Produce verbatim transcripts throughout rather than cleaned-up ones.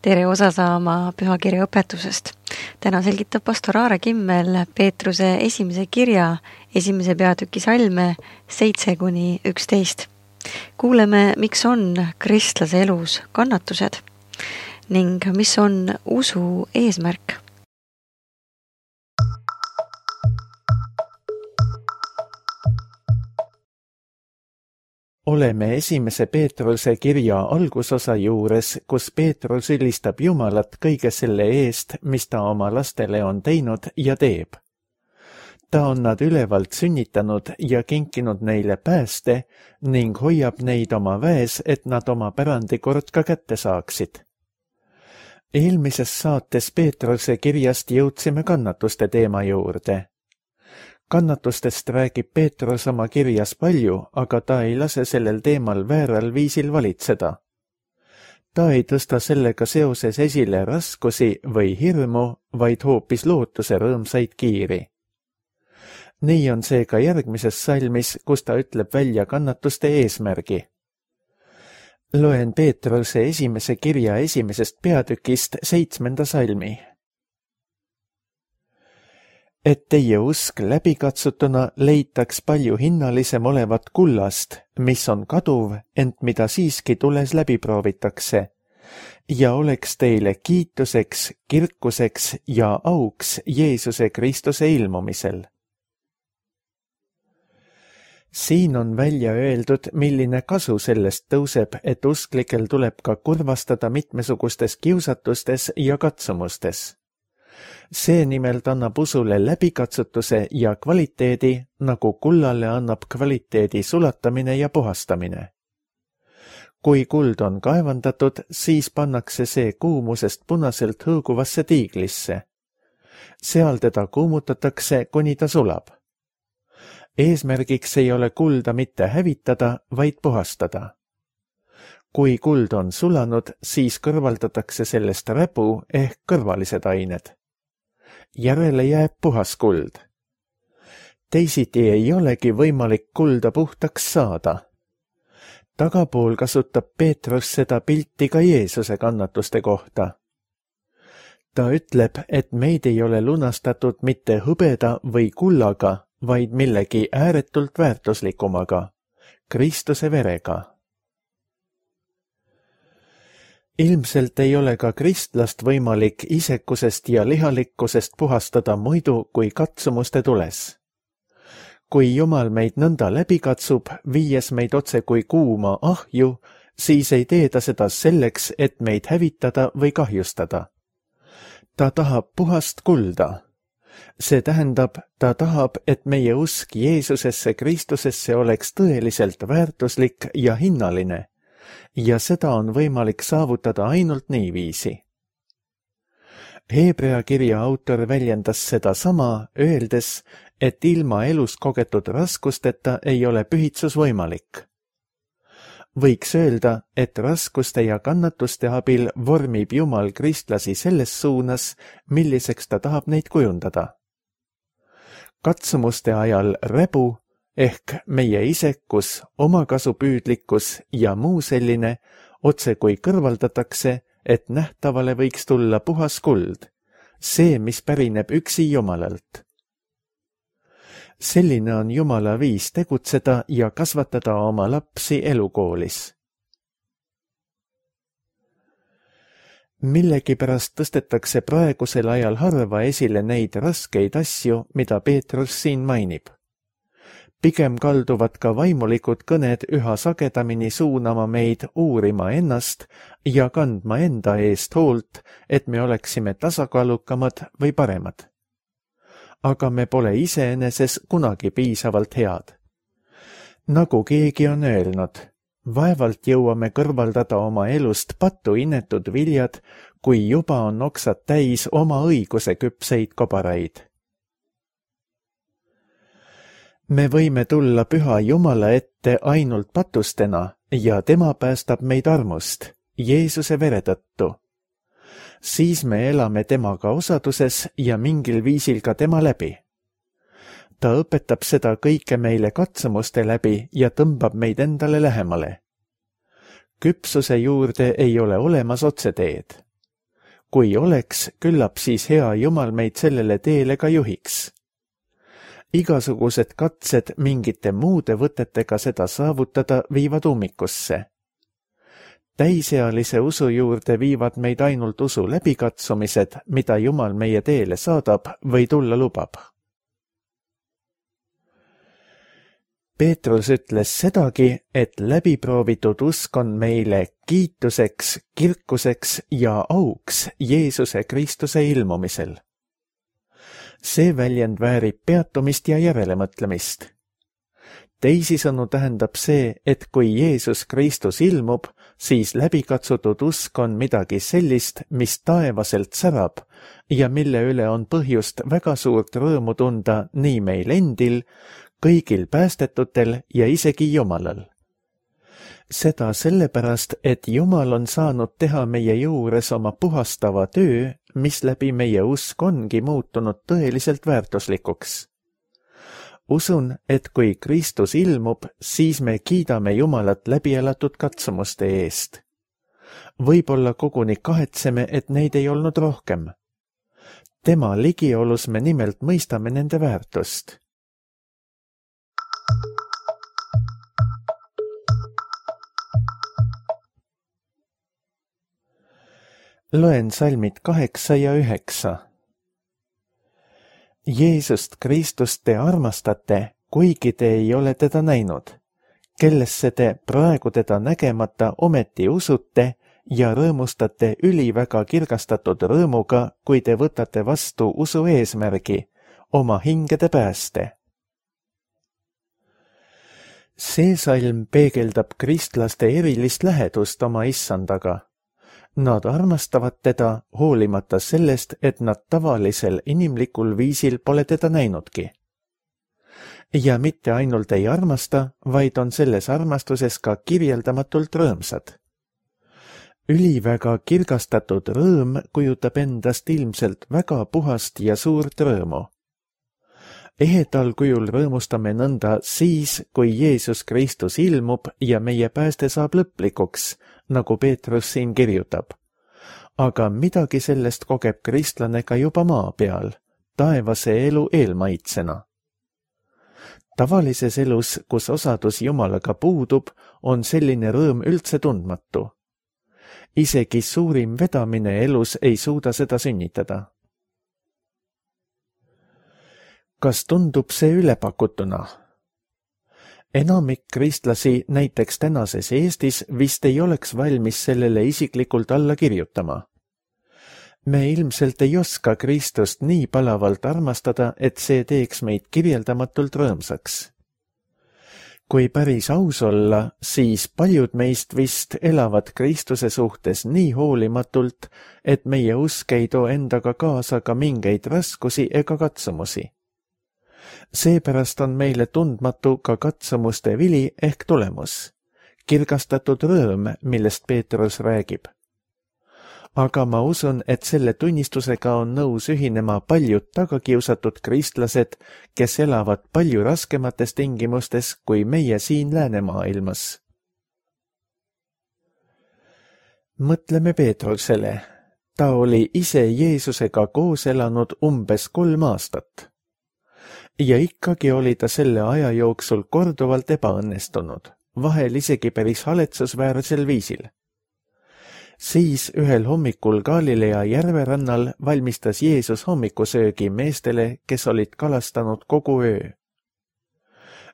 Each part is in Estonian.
tere osa saama pühakirja õpetusest. Täna selgitab pastor Aare Kimmel Peetruse esimese kirja esimese peatüki salme seitse kuni üksteist. Kuuleme, miks on kristlase elus kannatused ning mis on usu eesmärk. Oleme esimese Peetruse kirja algusosa juures, kus Peetrus ülistab Jumalat kõige selle eest, mis ta oma lastele on teinud ja teeb. Ta on nad ülevalt sünnitanud ja kinkinud neile pääste ning hoiab neid oma väes, et nad oma pärandi kord ka kätte saaksid. Eelmises saates Peetruse kirjast jõudsime kannatuste teema juurde. Kannatustest räägib Peetrus oma kirjas palju, aga ta ei lase sellel teemal vääral viisil valitseda. Ta ei tõsta sellega seoses esile raskusi või hirmu, vaid hoopis lootuse rõõmsaid kiiri. Nii on see ka järgmises salmis, kus ta ütleb välja kannatuste eesmärgi. Loen Peetruse esimese kirja esimesest peatükist seitsmenda salmi. Et teie usk läbikatsutuna leitaks palju hinnalisem olevat kullast, mis on kaduv, ent mida siiski tules läbi proovitakse, ja oleks teile kiituseks, kirkuseks ja auks Jeesuse Kristuse ilmumisel. Siin on välja öeldud, milline kasu sellest tõuseb, et usklikel tuleb ka kurvastada mitmesugustes kiusatustes ja katsumustes. See nimelt annab usule läbikatsutuse ja kvaliteedi, nagu kullale annab kvaliteedi sulatamine ja puhastamine. Kui kuld on kaevandatud, siis pannakse see kuumusest punaselt hõõguvasse tiiglisse. Seal teda kuumutatakse, kuni ta sulab. Eesmärgiks ei ole kulda mitte hävitada, vaid puhastada. Kui kuld on sulanud, siis kõrvaldatakse sellest räbu ehk kõrvalised ained. Järele jääb puhas kuld. Teisiti ei olegi võimalik kulda puhtaks saada. Tagapool kasutab Peetrus seda pilti ka Jeesuse kannatuste kohta. Ta ütleb, et meid ei ole lunastatud mitte hõbeda või kullaga, vaid millegi ääretult väärtuslikumaga, Kristuse verega. Ilmselt ei ole ka kristlast võimalik isekusest ja lihalikkusest puhastada muidu kui katsumuste tules. Kui Jumal meid nõnda läbi katsub, viies meid otse kui kuuma ahju, siis ei tee ta seda selleks, et meid hävitada või kahjustada. Ta tahab puhast kulda. See tähendab, ta tahab, et meie usk Jeesusesse Kristusesse oleks tõeliselt väärtuslik ja hinnaline. Ja seda on võimalik saavutada ainult niiviisi. Hebrea kirja autor väljendas seda sama, öeldes, et ilma elus kogetud raskusteta ei ole pühitsus võimalik. Võiks öelda, et raskuste ja kannatuste abil vormib Jumal kristlasi selles suunas, milliseks ta tahab neid kujundada. Katsumuste ajal räbu, ehk meie isekus, omakasupüüdlikkus ja muu selline otse kui kõrvaldatakse, et nähtavale võiks tulla puhas kuld, see, mis pärineb üksi Jumalalt. Selline on Jumala viis tegutseda ja kasvatada oma lapsi elukoolis. Millegipärast tõstetakse praegusel ajal harva esile neid raskeid asju, mida Peetrus siin mainib. Pigem kalduvad ka vaimulikud kõned üha sagedamini suunama meid uurima ennast ja kandma enda eest hoolt, et me oleksime tasakaalukamad või paremad. Aga me pole iseeneses kunagi piisavalt head. Nagu keegi on öelnud, vaevalt jõuame kõrvaldada oma elust pattu inetud viljad, kui juba on oksad täis oma õiguse küpseid kobaraid. Me võime tulla püha Jumala ette ainult patustena ja tema päästab meid armust, Jeesuse vere tõttu. Siis me elame temaga osaduses ja mingil viisil ka tema läbi. Ta õpetab seda kõike meile katsumuste läbi ja tõmbab meid endale lähemale. Küpsuse juurde ei ole olemas otseteed. kui oleks, küllap siis hea Jumal meid sellele teele ka juhiks. Igasugused katsed mingite muude võtetega seda saavutada viivad ummikusse. Täisealise usu juurde viivad meid ainult usu läbikatsumised, mida Jumal meie teele saadab või tulla lubab. Peetrus ütles sedagi, et läbiproovitud usk on meile kiituseks, kirkuseks ja auks Jeesuse Kristuse ilmumisel. See väljend väärib peatumist ja järelemõtlemist. Teisisõnu tähendab see, et kui Jeesus Kristus ilmub, siis läbikatsutud usk on midagi sellist, mis taevaselt särab ja mille üle on põhjust väga suurt rõõmu tunda nii meil endil, kõigil päästetutel ja isegi Jumalal. Seda sellepärast, et Jumal on saanud teha meie juures oma puhastava töö, mis läbi meie usk ongi muutunud tõeliselt väärtuslikuks. Usun, et kui Kristus ilmub, siis me kiidame Jumalat läbielatud katsumuste eest. Võib-olla koguni kahetseme, et neid ei olnud rohkem. Tema ligiolus me nimelt mõistame nende väärtust. Loen salmid kaheksa ja üheksa. Jeesust Kristust te armastate, kuigi te ei ole teda näinud, kellesse te praegu teda nägemata ometi usute ja rõõmustate üliväga kirgastatud rõõmuga, kui te võtate vastu usu eesmärgi, oma hingede pääste. See salm peegeldab kristlaste erilist lähedust oma issandaga. Nad armastavad teda hoolimata sellest, et nad tavalisel inimlikul viisil pole teda näinudki. Ja mitte ainult ei armasta, vaid on selles armastuses ka kirjeldamatult rõõmsad. Üliväga kirgastatud rõõm kujutab endast ilmselt väga puhast ja suurt rõõmu. Ehedal kujul rõõmustame nõnda siis, kui Jeesus Kristus ilmub ja meie pääste saab lõplikuks, nagu Peetrus siin kirjutab. Aga midagi sellest kogeb kristlane ka juba maa peal, taevase elu eelmaitsena. Tavalises elus, kus osadus Jumalaga puudub, on selline rõõm üldse tundmatu. Isegi suurim vedamine elus ei suuda seda sünnitada. Kas tundub see ülepakutuna? Enamik kristlasi näiteks tänases Eestis vist ei oleks valmis sellele isiklikult alla kirjutama. Me ilmselt ei oska Kristust nii palavalt armastada, et see teeks meid kirjeldamatult rõõmsaks. Kui päris aus olla, siis paljud meist vist elavad Kristuse suhtes nii hoolimatult, et meie usk ei too endaga kaasa ka mingeid raskusi ega katsumusi. Seepärast on meile tundmatu ka katsumuste vili ehk tulemus, kirgastatud rõõm, millest Peetrus räägib. Aga ma usun, et selle tunnistusega on nõus ühinema paljud tagakiusatud kristlased, kes elavad palju raskemates tingimustes kui meie siin läänemaailmas. Mõtleme Peetrusele. Ta oli ise Jeesusega koos elanud umbes kolm aastat. Ja ikkagi oli ta selle aja jooksul korduvalt ebaõnnestunud, vahel isegi päris haletsusväärsel viisil. Siis ühel hommikul Galilea järverannal valmistas Jeesus hommikusöögi meestele, kes olid kalastanud kogu öö.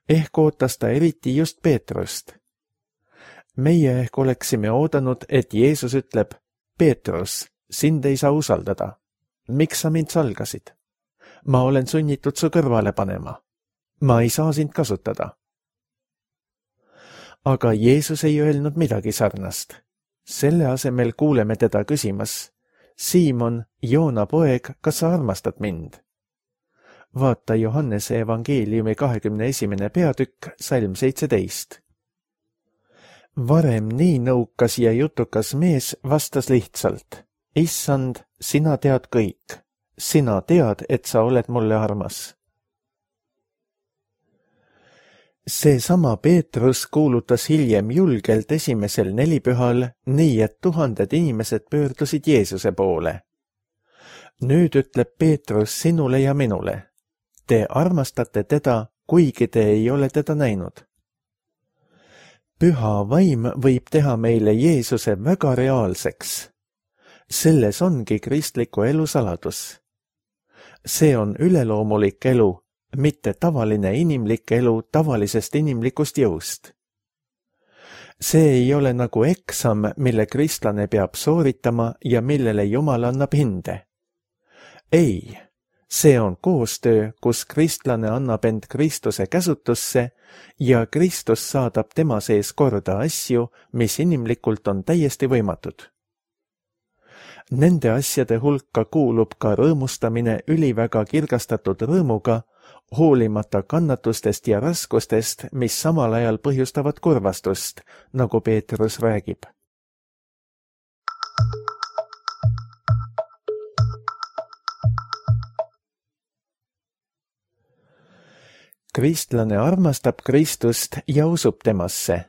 Ehk ootas ta eriti just Peetrust. Meie ehk oleksime oodanud, et Jeesus ütleb, Peetrus, sind ei saa usaldada. Miks sa mind salgasid? Ma olen sunnitud su kõrvale panema. Ma ei saa sind kasutada. Aga Jeesus ei öelnud midagi sarnast. Selle asemel kuuleme teda küsimas, Siimon, Joona poeg, kas sa armastad mind? Vaata Johannese evangeeliumi kahekümne esimene peatükk, salm seitseteist. Varem nii nõukas ja jutukas mees vastas lihtsalt, Issand, sina tead kõik. Sina tead, et sa oled mulle armas. Seesama Peetrus kuulutas hiljem julgelt esimesel nelipühal, nii et tuhanded inimesed pöördusid Jeesuse poole. Nüüd ütleb Peetrus sinule ja minule. Te armastate teda, kuigi te ei ole teda näinud. Püha vaim võib teha meile Jeesuse väga reaalseks. Selles ongi kristliku elu saladus. See on üleloomulik elu, mitte tavaline inimlik elu tavalisest inimlikust jõust. See ei ole nagu eksam, mille kristlane peab sooritama ja millele Jumal annab hinde. Ei, see on koostöö, kus kristlane annab end Kristuse käsutusse ja Kristus saadab tema sees korda asju, mis inimlikult on täiesti võimatud. Nende asjade hulka kuulub ka rõõmustamine üliväga kirgastatud rõõmuga, hoolimata kannatustest ja raskustest, mis samal ajal põhjustavad kurvastust, nagu Peetrus räägib. Kristlane armastab Kristust ja usub temasse.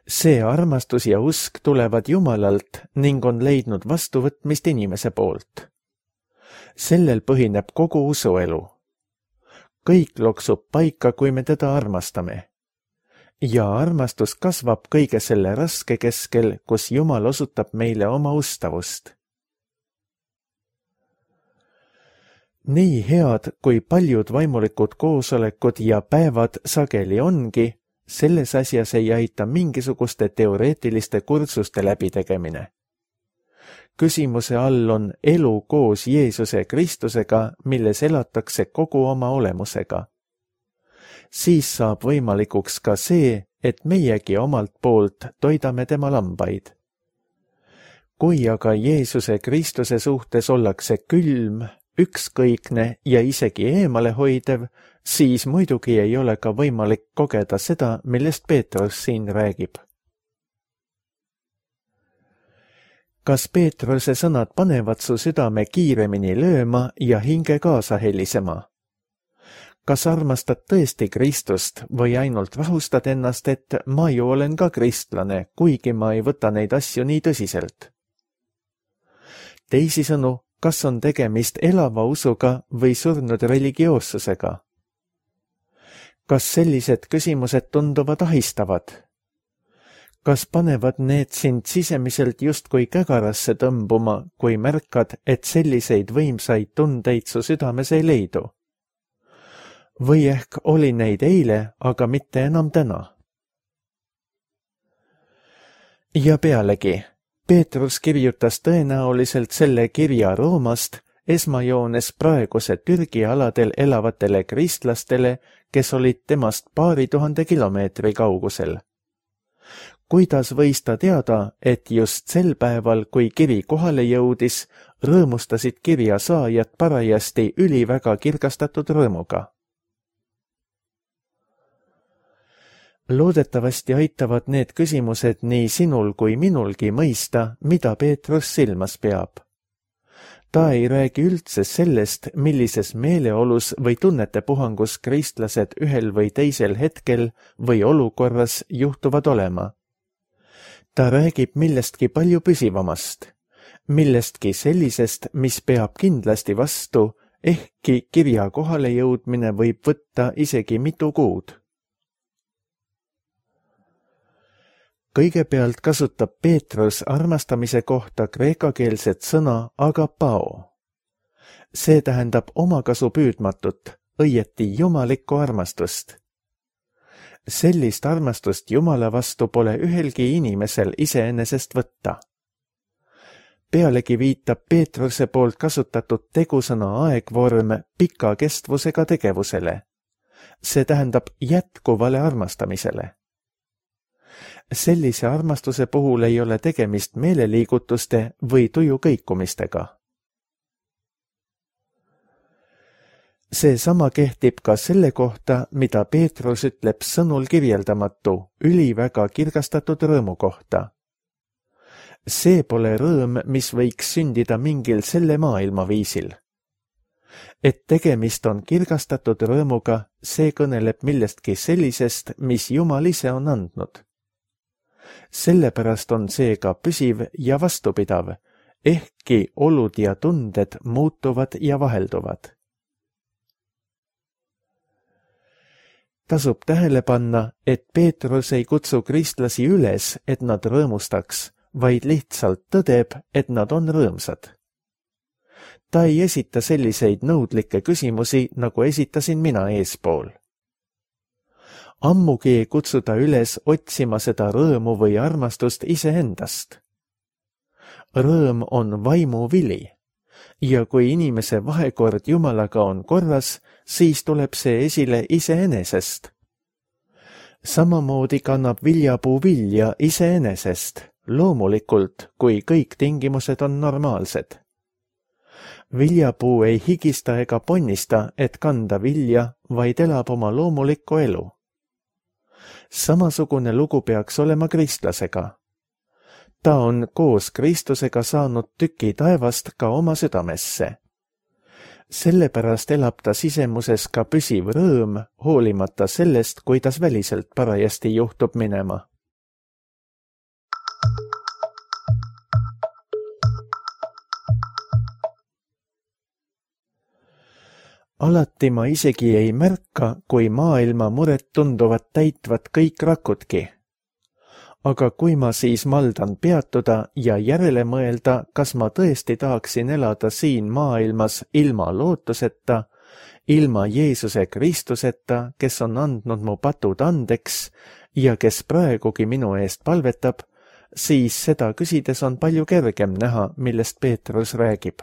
See armastus ja usk tulevad Jumalalt ning on leidnud vastuvõtmist inimese poolt. Sellel põhineb kogu usuelu. Kõik loksub paika, kui me teda armastame. Ja armastus kasvab kõige selle raske keskel, kus Jumal osutab meile oma ustavust. Nii head, kui paljud vaimulikud koosolekud ja päevad sageli ongi, selles asjas ei aita mingisuguste teoreetiliste kursuste läbitegemine. Küsimuse all on elu koos Jeesuse Kristusega, milles elatakse kogu oma olemusega. Siis saab võimalikuks ka see, et meiegi omalt poolt toidame tema lambaid. Kui aga Jeesuse Kristuse suhtes ollakse külm, ükskõikne ja isegi eemalehoidev, siis muidugi ei ole ka võimalik kogeda seda, millest Peetrus siin räägib. Kas Peetruse sõnad panevad su südame kiiremini lööma ja hinge kaasa helisema? Kas armastad tõesti Kristust või ainult rahustad ennast, et ma ju olen ka kristlane, kuigi ma ei võta neid asju nii tõsiselt? Teisisõnu, kas on tegemist elava usuga või surnud religioossusega? Kas sellised küsimused tunduvad ahistavad? Kas panevad need sind sisemiselt justkui kägarasse tõmbuma, kui märkad, et selliseid võimsaid tundeid su südames ei leidu? Või ehk oli neid eile, aga mitte enam täna? Ja pealegi, Peetrus kirjutas tõenäoliselt selle kirja Roomast, esmajoones praeguse Türgi aladel elavatele kristlastele, kes olid temast paari tuhande kilomeetri kaugusel. Kuidas võis ta teada, et just sel päeval, kui kiri kohale jõudis, rõõmustasid kirja saajad parajasti üliväga kirgastatud rõõmuga? Loodetavasti aitavad need küsimused nii sinul kui minulgi mõista, mida Peetrus silmas peab. Ta ei räägi üldse sellest, millises meeleolus või tunnete puhangus kristlased ühel või teisel hetkel või olukorras juhtuvad olema. Ta räägib millestki palju püsivamast, millestki sellisest, mis peab kindlasti vastu, ehkki kirja kohale jõudmine võib võtta isegi mitu kuud. Kõigepealt kasutab Peetrus armastamise kohta kreekakeelset sõna agapao. See tähendab omakasu püüdmatut, õieti jumalikku armastust. Sellist armastust Jumala vastu pole ühelgi inimesel iseenesest võtta. Pealegi viitab Peetruse poolt kasutatud tegusõna aegvorm pika kestvusega tegevusele. See tähendab jätkuvale armastamisele. Sellise armastuse puhul ei ole tegemist meeleliigutuste või tuju kõikumistega. See sama kehtib ka selle kohta, mida Peetrus ütleb sõnul kirjeldamatu, üliväga kirgastatud rõõmu kohta. See pole rõõm, mis võiks sündida mingil selle maailma viisil. et tegemist on kirgastatud rõõmuga, see kõneleb millestki sellisest, mis Jumal ise on andnud. Sellepärast on see ka püsiv ja vastupidav, ehkki olud ja tunded muutuvad ja vahelduvad. Tasub tähele panna, et Peetrus ei kutsu kristlasi üles, et nad rõõmustaks, vaid lihtsalt tõdeb, et nad on rõõmsad. Ta ei esita selliseid nõudlikke küsimusi, nagu esitasin mina eespool. Ammugi ei kutsuda üles otsima seda rõõmu või armastust iseendast. Rõõm on vaimu vili, ja kui inimese vahekord Jumalaga on korras, siis tuleb see esile iseenesest. Samamoodi kannab viljapuu vilja iseenesest, loomulikult, kui kõik tingimused on normaalsed. Viljapuu ei higista ega ponnista, et kanda vilja, vaid elab oma loomulikku elu. Samasugune lugu peaks olema kristlasega. Ta on koos Kristusega saanud tüki taevast ka oma südamesse. Sellepärast elab ta sisemuses ka püsiv rõõm, hoolimata sellest, kuidas väliselt parajasti juhtub minema. Alati ma isegi ei märka, kui maailma mured tunduvad täitvat kõik rakudki. Aga kui ma siis maldan peatuda ja järele mõelda, kas ma tõesti tahaksin elada siin maailmas ilma lootuseta, ilma Jeesuse Kristuseta, kes on andnud mu patud andeks ja kes praegugi minu eest palvetab, siis seda küsides on palju kergem näha, millest Peetrus räägib.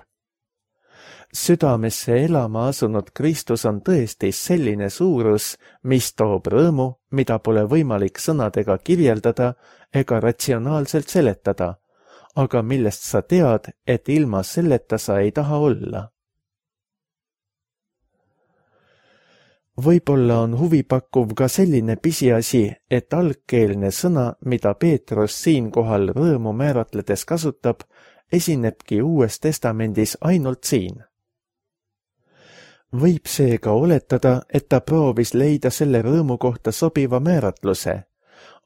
Südamesse elama asunud Kristus on tõesti selline suurus, mis toob rõõmu, mida pole võimalik sõnadega kirjeldada ega ratsionaalselt seletada, aga millest sa tead, et ilma selleta sa ei taha olla. Võib-olla on huvipakkuv ka selline pisiasi, et algkeelne sõna, mida Peetrus siinkohal rõõmu määratledes kasutab, esinebki Uues Testamendis ainult siin. Võib seega oletada, et ta proovis leida selle rõõmu kohta sobiva määratluse,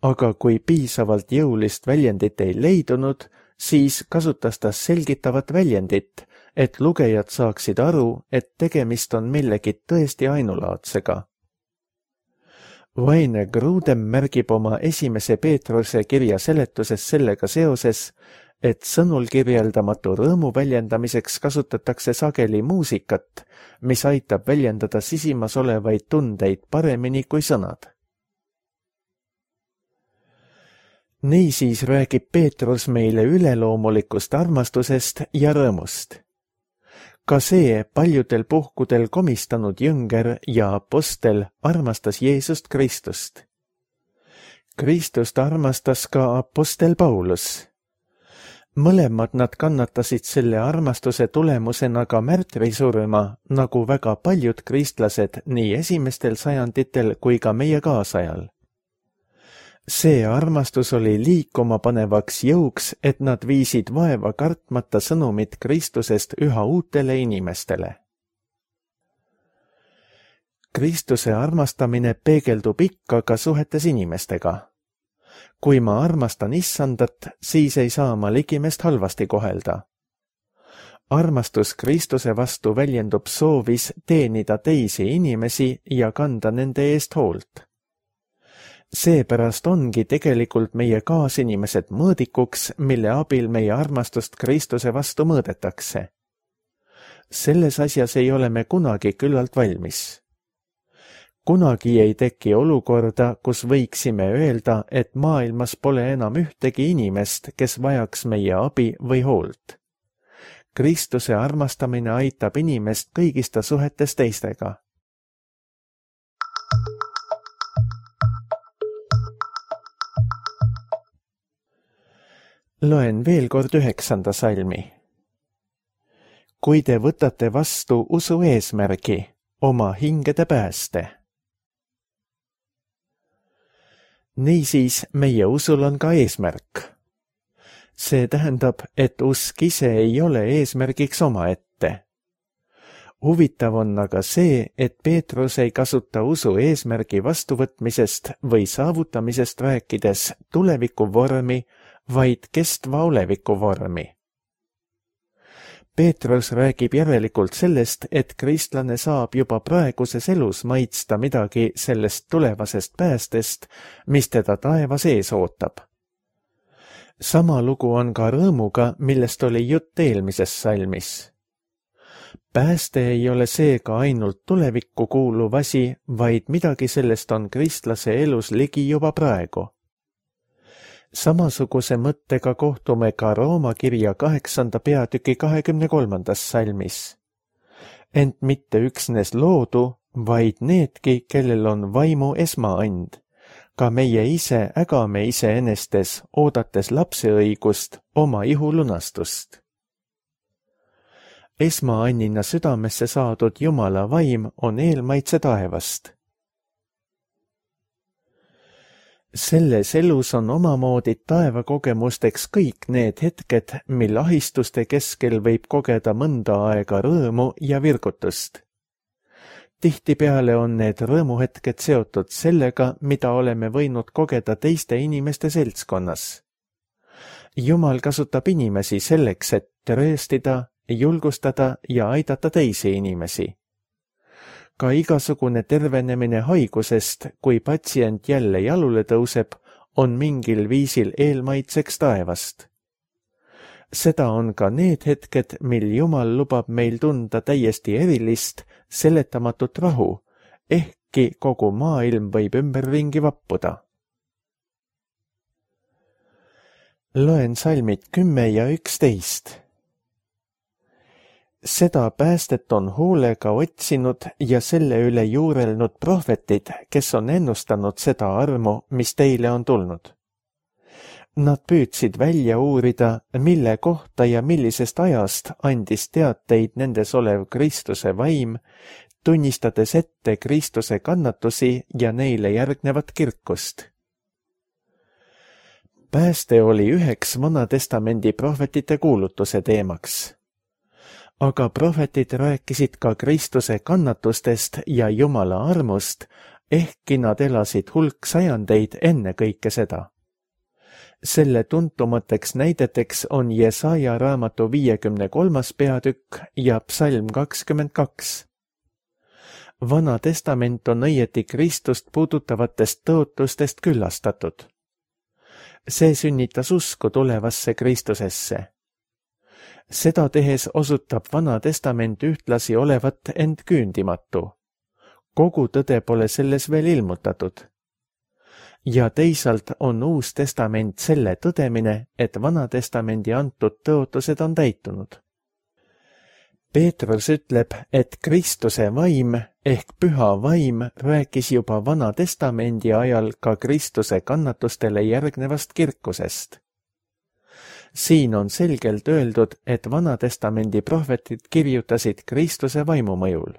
aga kui piisavalt jõulist väljendit ei leidunud, siis kasutas ta selgitavat väljendit, et lugejad saaksid aru, et tegemist on millegi tõesti ainulaadsega. Vaine Grudem märgib oma esimese Peetruse kirja seletuses sellega seoses, et sõnul kirjeldamatu rõõmu väljendamiseks kasutatakse sageli muusikat, mis aitab väljendada sisimas olevaid tundeid paremini kui sõnad. Niisiis räägib Peetrus meile üleloomulikust armastusest ja rõõmust. Ka see paljudel puhkudel komistanud jünger ja apostel armastas Jeesust Kristust. Kristust armastas ka apostel Paulus. Mõlemad nad kannatasid selle armastuse tulemusena ka märtrisurma, nagu väga paljud kristlased nii esimestel sajanditel kui ka meie kaasajal. See armastus oli liikuma panevaks jõuks, et nad viisid vaeva kartmata sõnumit Kristusest üha uutele inimestele. Kristuse armastamine peegeldub ikka ka suhetes inimestega. Kui ma armastan issandat, siis ei saa ma ligimest halvasti kohelda. Armastus Kristuse vastu väljendub soovis teenida teisi inimesi ja kanda nende eest hoolt. Seepärast ongi tegelikult meie kaasinimesed mõõdikuks, mille abil meie armastust Kristuse vastu mõõdetakse. Selles asjas ei ole me kunagi küllalt valmis. Kunagi ei teki olukorda, kus võiksime öelda, et maailmas pole enam ühtegi inimest, kes vajaks meie abi või hoolt. Kristuse armastamine aitab inimest kõigis ta suhetes teistega. Loen veel kord üheksanda salmi. Kui te võtate vastu usu eesmärgi, oma hingede pääste. Niisiis meie usul on ka eesmärk. See tähendab, et usk ise ei ole eesmärgiks omaette. huvitav on aga see, et Peetrus ei kasuta usu eesmärgi vastuvõtmisest või saavutamisest rääkides tuleviku vormi, vaid kestva oleviku vormi. Peetrus räägib järelikult sellest, et kristlane saab juba praeguses elus maitsta midagi sellest tulevasest päästest, mis teda taevas ees ootab. Sama lugu on ka rõõmuga, millest oli jutt eelmises salmis. Pääste ei ole seega ainult tulevikku kuuluv asi, vaid midagi sellest on kristlase elus ligi juba praegu. Samasuguse mõttega kohtume ka Rooma kirja kaheksanda peatüki kahekümne kolmandas salmis. Ent mitte üksnes loodu, vaid needki, kellel on vaimu esmaand. Ka meie ise ägame iseenestes, oodates lapseõigust, oma ihu lunastust. Esmaannina südamesse saadud Jumala vaim on eelmaitse taevast. Selles elus on omamoodi taevakogemusteks kõik need hetked, mil ahistuste keskel võib kogeda mõnda aega rõõmu ja virgutust. Tihtipeale on need rõõmuhetked seotud sellega, mida oleme võinud kogeda teiste inimeste seltskonnas. Jumal kasutab inimesi selleks, et trööstida, julgustada ja aidata teisi inimesi. Ka igasugune tervenemine haigusest, kui patsient jälle jalule tõuseb, on mingil viisil eelmaitseks taevast. Seda on ka need hetked, mil Jumal lubab meil tunda täiesti erilist, seletamatut rahu, ehkki kogu maailm võib ümberringi vappuda. Loen salmid kümme ja üksteist. Seda päästet on hoolega otsinud ja selle üle juurelnud prohvetid, kes on ennustanud seda armu, mis teile on tulnud. Nad püüdsid välja uurida, mille kohta ja millisest ajast andis teateid nendes olev Kristuse vaim, tunnistades ette Kristuse kannatusi ja neile järgnevat kirkust. Pääste oli üheks Vanatestamendi prohvetite kuulutuse teemaks. Aga prohvetid rääkisid ka Kristuse kannatustest ja Jumala armust, ehkki nad elasid hulk sajandeid enne kõike seda. Selle tuntumateks näideteks on Jesaja raamatu viiekümne kolmas peatükk ja psalm kakskümmend kaks. Vana testament on õieti Kristust puudutavatest tõotustest küllastatud. See sünnitas usku tulevasse Kristusesse. Seda tehes osutab Vana testament ühtlasi olevat end küündimatu. Kogu tõde pole selles veel ilmutatud. Ja teisalt on Uus testament selle tõdemine, et Vana testamendi antud tõotused on täitunud. Peetrus ütleb, et Kristuse vaim ehk püha vaim rääkis juba Vana testamendi ajal ka Kristuse kannatustele järgnevast kirkusest. Siin on selgelt öeldud, et Vana testamendi prohvetid kirjutasid Kristuse vaimu mõjul.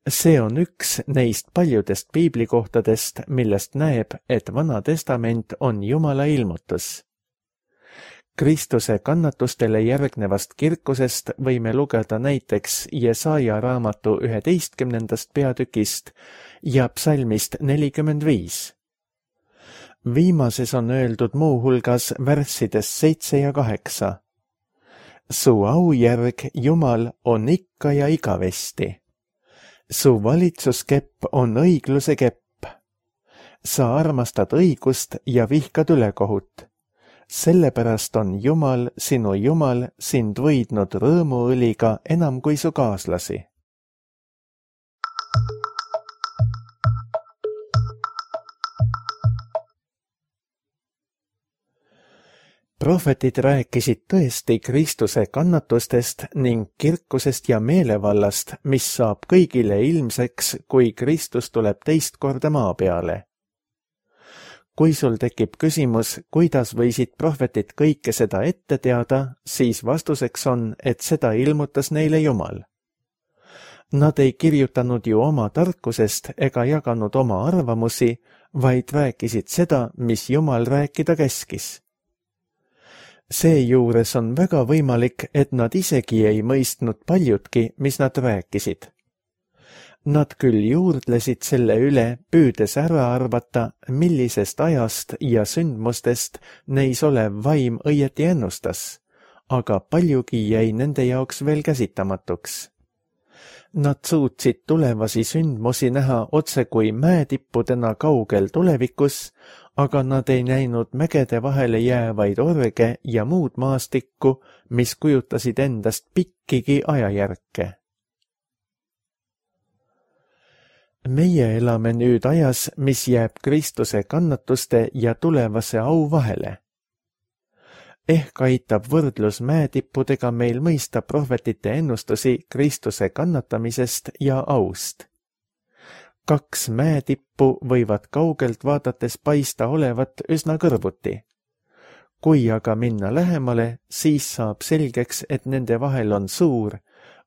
See on üks neist paljudest piiblikohtadest, millest näeb, et Vana testament on Jumala ilmutus. Kristuse kannatustele järgnevast kirkusest võime lugeda näiteks Jesaja raamatu üheteistkümnendast peatükist ja psalmist nelikümmend viis. Viimases on öeldud muuhulgas värssides seitse ja kaheksa. Su aujärg, Jumal, on ikka ja igavesti. Su valitsuskepp on õigluse kepp. Sa armastad õigust ja vihkad ülekohut. Sellepärast on Jumal, sinu Jumal, sind võidnud rõõmuõliga enam kui su kaaslasi. Prohvetid rääkisid tõesti Kristuse kannatustest ning kirkusest ja meelevallast, mis saab kõigile ilmseks, kui Kristus tuleb teist korda maa peale. Kui sul tekib küsimus, kuidas võisid prohvetid kõike seda ette teada, siis vastuseks on, et seda ilmutas neile Jumal. Nad ei kirjutanud ju oma tarkusest ega jaganud oma arvamusi, vaid rääkisid seda, mis Jumal rääkida käskis. Seejuures on väga võimalik, et nad isegi ei mõistnud paljutki, mis nad rääkisid. Nad küll juurdlesid selle üle, püüdes ära arvata, millisest ajast ja sündmustest neis olev vaim õieti ennustas, aga paljugi jäi nende jaoks veel käsitamatuks. Nad suutsid tulevasi sündmusi näha otse kui mäetippudena kaugel tulevikus, aga nad ei näinud mägede vahele jäävaid orge ja muud maastikku, mis kujutasid endast pikkigi ajajärke. Meie elame nüüd ajas, mis jääb Kristuse kannatuste ja tulevase au vahele. Ehk aitab võrdlus mäetippudega meil mõista prohvetite ennustusi Kristuse kannatamisest ja aust. Kaks mäetippu võivad kaugelt vaadates paista olevat üsna kõrvuti. Kui aga minna lähemale, siis saab selgeks, et nende vahel on suur,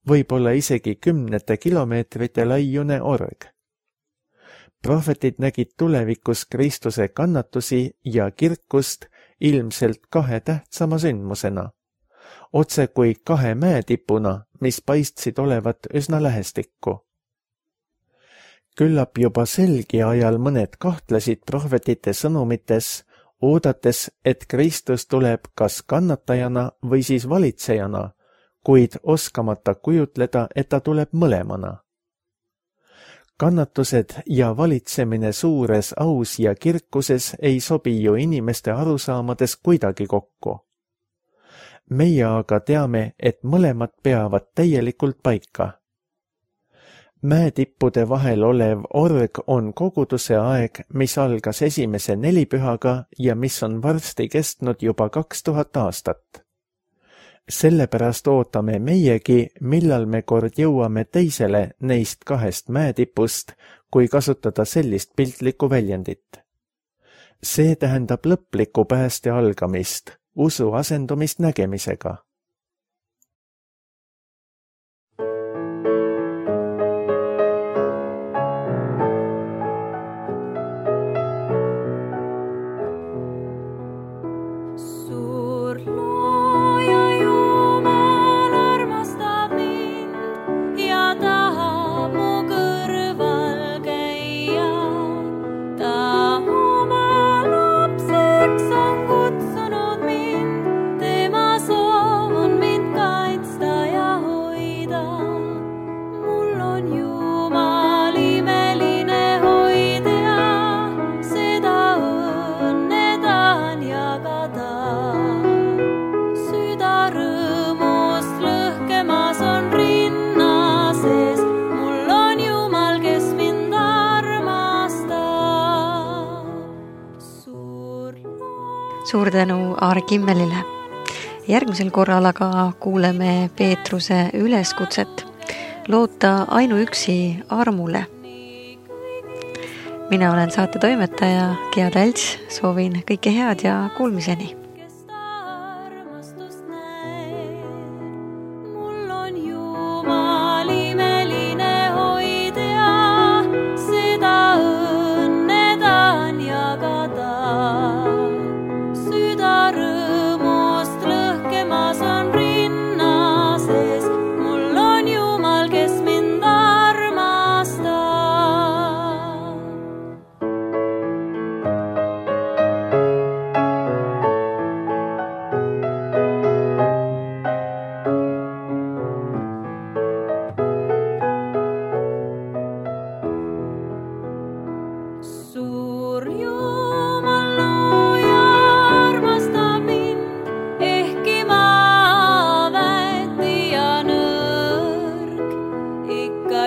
võib-olla isegi kümnete kilomeetrite laiune org. Prohvetid nägid tulevikus Kristuse kannatusi ja kirkust ilmselt kahe tähtsama sündmusena, otse kui kahe mäetipuna, mis paistsid olevat üsna lähestikku. Küllap juba selgi ajal mõned kahtlesid prohvetite sõnumites, oodates, et Kristus tuleb kas kannatajana või siis valitsejana, kuid oskamata kujutleda, et ta tuleb mõlemana. Kannatused ja valitsemine suures aus ja kirkuses ei sobi ju inimeste arusaamades kuidagi kokku. Meie aga teame, et mõlemad peavad täielikult paika. Mäetippude vahel olev org on koguduse aeg, mis algas esimese nelipühaga ja mis on varsti kestnud juba kaks tuhat aastat. Sellepärast ootame meiegi, millal me kord jõuame teisele neist kahest mäetipust, kui kasutada sellist piltlikku väljendit. See tähendab lõplikku pääste algamist, usu asendumist nägemisega. Suur tänu Aare Kimmelile. Järgmisel korral aga kuuleme Peetruse üleskutset loota ainuüksi armule. Mina olen saate toimetaja Gea Tälts, soovin kõike head ja kuulmiseni.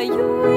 You